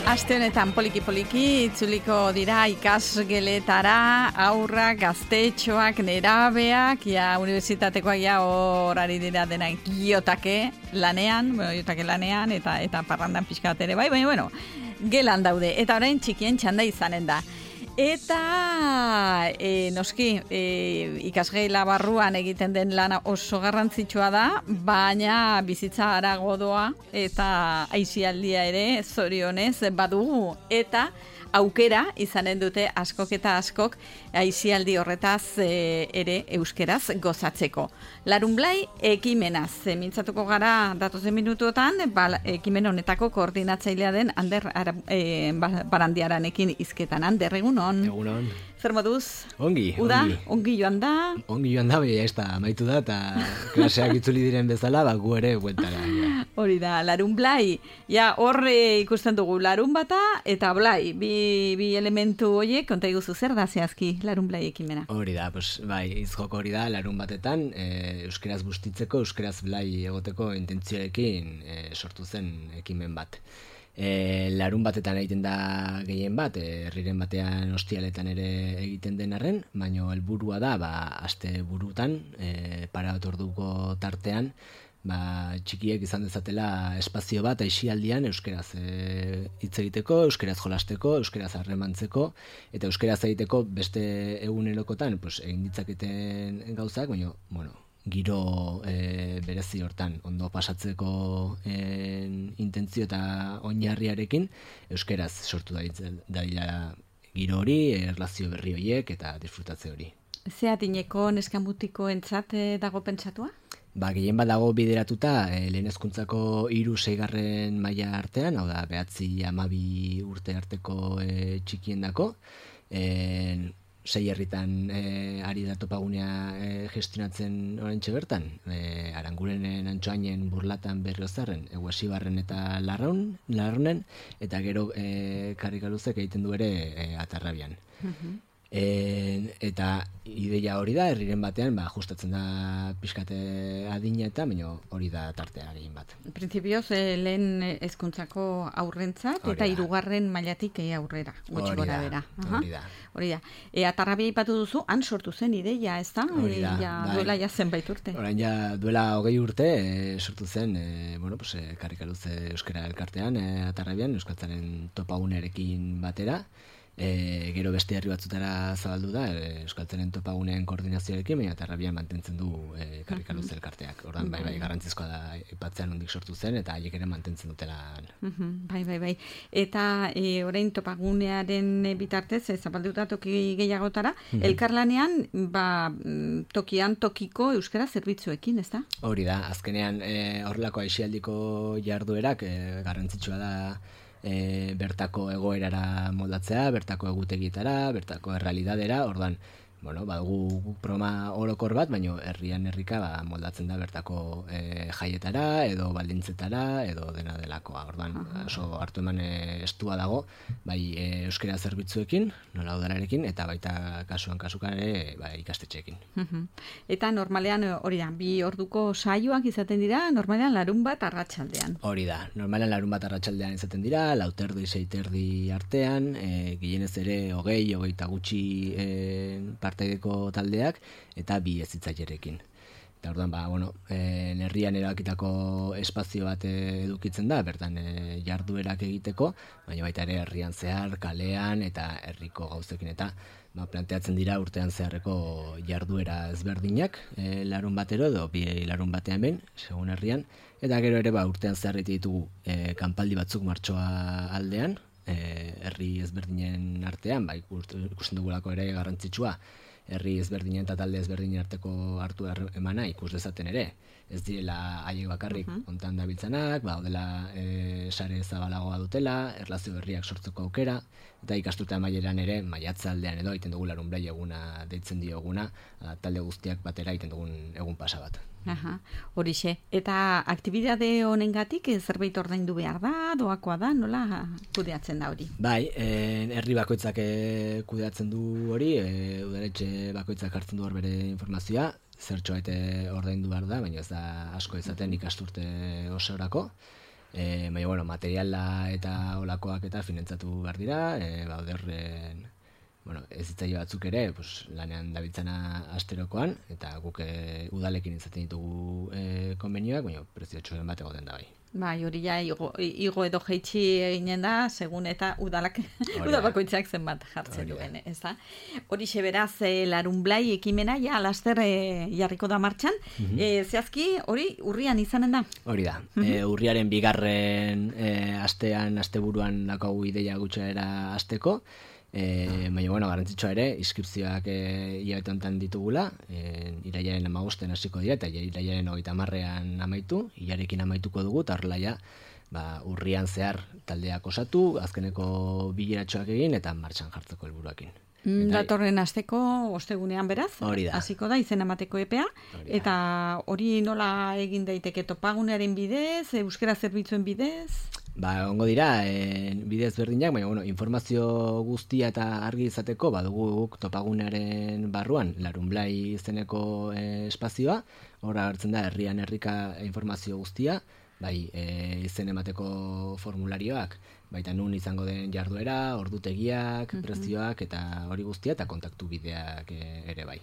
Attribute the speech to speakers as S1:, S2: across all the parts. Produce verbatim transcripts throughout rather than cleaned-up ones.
S1: Aste honetan poliki-poliki itzuliko dira ikasgeletara, aurrak, gaztetxoak, nerabeak, ja unibertsitatekoak ja horari dira dena giotake lanean, bueno, giotake lanean eta eta parrandan pixka bat ere bai, baina bueno, gelan daude eta orain txikien txanda izanen da. Eta e, noski e, ikasgeila barruan egiten den lana oso garrantzitsua da, baina bizitza harago doa eta aisialdia ere zorionez badugu eta aukera izanen dute askok eta askok aisialdi horretaz e, ere euskeraz gozatzeko. Larunblai ekimenaz, e, mintzatuko gara datozen minutuotan, ba, ekimen honetako koordinatzailea den Ander e, Barandiaranekin hizketan. Ander, egunon.
S2: Egunon.
S1: Zer moduz?
S2: Ongi,
S1: Uda,
S2: ongi.
S1: Ongi joan da.
S2: Ongi joan da, baina ez da, amaitu da, eta klaseak itzuli diren bezala, ba, gu ere bueltara. Ja.
S1: Hori da, larun blai. Ja, horre ikusten dugu larun bata eta blai. Bi, bi elementu horiek, konta iguzu zer da zehazki larun blai ekimena.
S2: Hori da, pues, bai, izjoko hori da, larun batetan, e, euskeraz bustitzeko, euskeraz blai egoteko intentzioekin e, sortu zen ekimen bat. E, larun batetan egiten da gehien bat, herriren batean ostialetan ere egiten den arren, baina helburua da, ba, aste burutan, e, para bat orduko tartean, ba, txikiek izan dezatela espazio bat aisialdian euskeraz e, hitz egiteko, euskeraz jolasteko, euskeraz harremantzeko, eta euskeraz egiteko beste egunerokotan pues, egin ditzaketen gauzak, baina, bueno, giro e, berezi hortan ondo pasatzeko e, intentzio eta oinarriarekin euskeraz sortu da daila giro hori, erlazio berri horiek eta disfrutatze hori.
S1: Zeatineko neskamutiko entzat dago pentsatua?
S2: Ba, gehien bat dago bideratuta e, lehen hezkuntzako hiru seigarren maila artean, hau da, behatzi hamabi urte arteko e, txikiendako, e, sei herritan e, ari da topagunea e, gestionatzen oraintxe bertan, e, Arangurenen, Antxoainen, Burlatan, Berriozarren, Eguesibarren eta Larraun, Larraunen, eta gero e, Karrikaluzek egiten du ere e, Atarrabian. Uh-huh. E, eta ideia hori da, herriren batean, ba, ajustatzen da pixkate adina eta, baina hori da tartea egin bat.
S1: Printzipioz, eh, lehen hezkuntzako aurrentzat eta hirugarren mailatik eh, aurrera, gutxi gora bera.
S2: Hori da.
S1: Hori da. E, Atarrabia ipatu duzu, han sortu zen ideia, ez da?
S2: Hori da.
S1: E, ja,
S2: bai.
S1: Duela ja zenbait urte.
S2: Orain ja duela hogei urte e, sortu zen, e, bueno, pues, e, Karrikaluz Euskara elkartean, e, Atarrabian, Euskaltzaren topagunearekin batera. E, gero beste herri batzutara zabaldu da, e, Euskaltzaren topaguneen koordinazioarekin, baina Atarrabian mantentzen du e, Karrikaluz elkarteak. Ordan bai, bai, garrantzizkoa da ipatzean hondik sortu zen, eta haiek ere mantentzen dutela.
S1: Uh-huh, bai, bai, bai. Eta e, orain topagunearen bitartez, e, zabalduta toki gehiagotara, uh-huh. elkarlanean, ba, tokian tokiko euskara zerbitzuekin, ez da? Hori
S2: da, azkenean e, horrelako aisialdiko jarduerak e, garrantzitsua da, E, bertako egoerara moldatzea, bertako egutegietara, bertako errealidadera, ordan, bueno, badugu programa orokor bat, baina herrian herrika ba, moldatzen da bertako e, jaietara, edo baldintzetara, edo dena delakoa. Ordan, oso hartu eman e, estua dago, bai e, euskara zerbitzuekin, nola udararekin, eta baita kasuan kasukan ere bai, ikastetxeekin.
S1: Eta normalean hori da, bi orduko saioak izaten dira, normalean larun bat arratsaldean.
S2: Hori da, normalean larun bat arratsaldean izaten dira, lauterdi, seiterdi artean, e, gehienez ere hogei, hogeita gutxi e, partaideko taldeak, eta bi hezitzailerekin. Eta orduan, ba, bueno, e, herrian erabakitako espazio bat edukitzen da, bertan e, jarduerak egiteko, baina baita ere herrian zehar, kalean, eta herriko gauzekin, eta ba, planteatzen dira urtean zeharreko jarduera ezberdinak, e, larun batero edo bi larun batean behin, segun herrian, eta gero ere ba, urtean zeharreti ditugu e, kanpaldi batzuk martxoa aldean, e, herri ezberdinen artean, ba, ikusten dugulako ere garrantzitsua, herri ezberdinen eta talde ezberdinen arteko hartu emana ikus dezaten ere. Ez direla haiek bakarrik uh-huh. ontan dabiltzanak, ba, odela e, sare zabalagoa dutela, erlazio berriak sortzeko aukera, eta ikasturte amaieran ere, maiatza aldean edo egiten dugu larun blai eguna deitzen dioguna, talde guztiak batera egiten dugun egun pasa bat.
S1: Aha, horixe. Eta aktibitate honengatik zerbait ordaindu behar da, doakoa da, nola kudeatzen da hori?
S2: Bai, e, herri bakoitzak e, kudeatzen du hori, e, udaletxe bakoitzak hartzen du hor bere informazioa, zertxo baite ordaindu behar da, baina ez da asko izaten ikasturte osorako. E, baina, bueno, materiala eta olakoak eta finantzatu behar dira, e, bauder, e, bueno, ez zitzaile batzuk ere, pues, lanean dabiltzana asterokoan, eta guk e, udalekin izaten ditugu e, konbenioak, baina prezio txoren bat egoten da bai.
S1: Bai, hori ja, igo, igo edo jeitsi eginen da, segun eta udalak, udabakoitzak zenbat jartzen duen, ez da? Hori beraz, e, larunblai ekimena, ja, laster e, jarriko da martxan, mm-hmm. e, zehazki, hori urrian izanen da?
S2: Hori da, mm-hmm. e, urriaren bigarren e, astean, asteburuan daukagu ideia gutxera asteko, E, baina, bueno, garrantzitsua ere, inskripzioak e, hilabete honetan ditugula, e, irailaren hamabosten hasiko dira, eta irailaren hogeita hamarrean amaitu, hilarekin amaituko dugu, eta horrela ja, ba, urrian zehar taldeak osatu, azkeneko bileratxoak egin, eta martxan jartzeko helburuakin.
S1: Datorren asteko ostegunean beraz, hasiko da izen emateko epea, eta hori nola egin daiteke topagunearen bidez, euskera zerbitzuen bidez?
S2: Ba, ongo dira, e, bidez berdinak, baina, bueno, informazio guztia eta argi izateko, badugu guk topagunearen barruan, larunblai izeneko e, espazioa, hor agertzen da, herrian herrika informazio guztia, bai, e, izen emateko formularioak, baita nun izango den jarduera, ordutegiak, mm-hmm. prezioak, eta hori guztia, eta kontaktu bideak e, ere bai.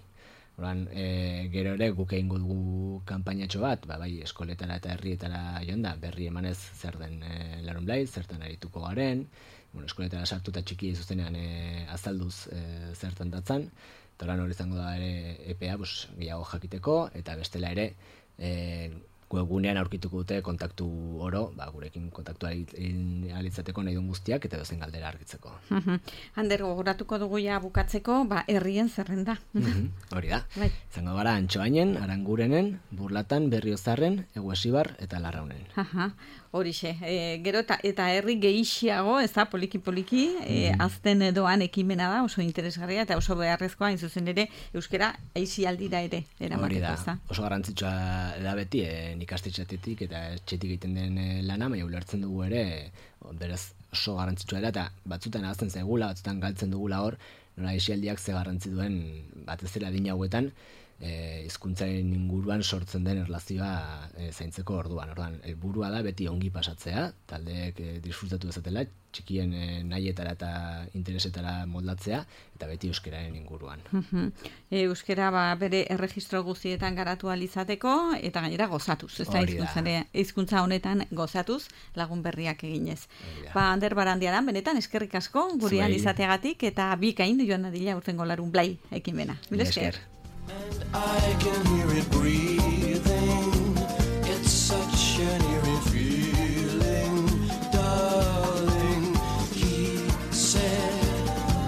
S2: Horan, e, gero ere guk egingo dugu kanpainatxo bat, ba, bai, eskoletara eta herrietara joan da, berri emanez zer den e, larunblai, zertan arituko garen, bueno, eskoletara sartu eta txiki zuzenean e, azalduz e, zertan datzan, eta horan hori izango da ere epea, pues, gehiago jakiteko, eta bestela ere, e, webgunean aurkituko dute kontaktu oro, ba, gurekin kontaktua alitzateko nahi duen guztiak, eta dozen galdera argitzeko.
S1: Uh-huh. Ander, gogoratuko dugu ja bukatzeko, ba, herrien zerrenda.
S2: Uh-huh. Hori da. Bai. Zango gara Antxoainen, Arangurenen, Burlatan, Berriozarren, Eguesibar eta Larraunen.
S1: Aha. Horixe, e, gero eta, eta herri gehiago, ez da, poliki-poliki, e, mm. azten doan ekimena da, oso interesgarria, eta oso beharrezkoa, hain zuzen ere, euskera aizialdira ere, eramateko, ez da.
S2: Oso garrantzitsua da beti, e, ikastetxetik eta etxetik egiten den lana, baina ulertzen dugu ere, beraz oso garrantzitsua dela, eta batzutan ahazten zaigula, batzutan galtzen dugula hor, nola aizialdiak ze garrantzi duen, batez ere adin hauetan, E, hizkuntzaren inguruan sortzen den erlazioa e, zaintzeko orduan. Orduan, helburua da beti ongi pasatzea, taldeek e, disfrutatu dezatela, txikien e, nahietara eta interesetara moldatzea, eta beti euskeraren inguruan.
S1: Uh-huh. e, euskera ba, bere erregistro guztietan garatu alizateko, eta gainera gozatuz. Ez da hizkuntza honetan gozatuz, lagun berriak eginez. Ba, Ander Barandiaran, benetan, eskerrik asko, gurean izateagatik, eta bikain joan adila urtengo larunblai ekimena. Mila esker.
S3: And I can hear it breathing. It's such an eerie feeling, darling. He said,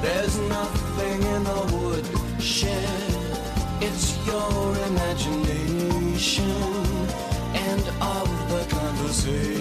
S3: there's nothing in the woodshed. It's your imagination and of the conversation.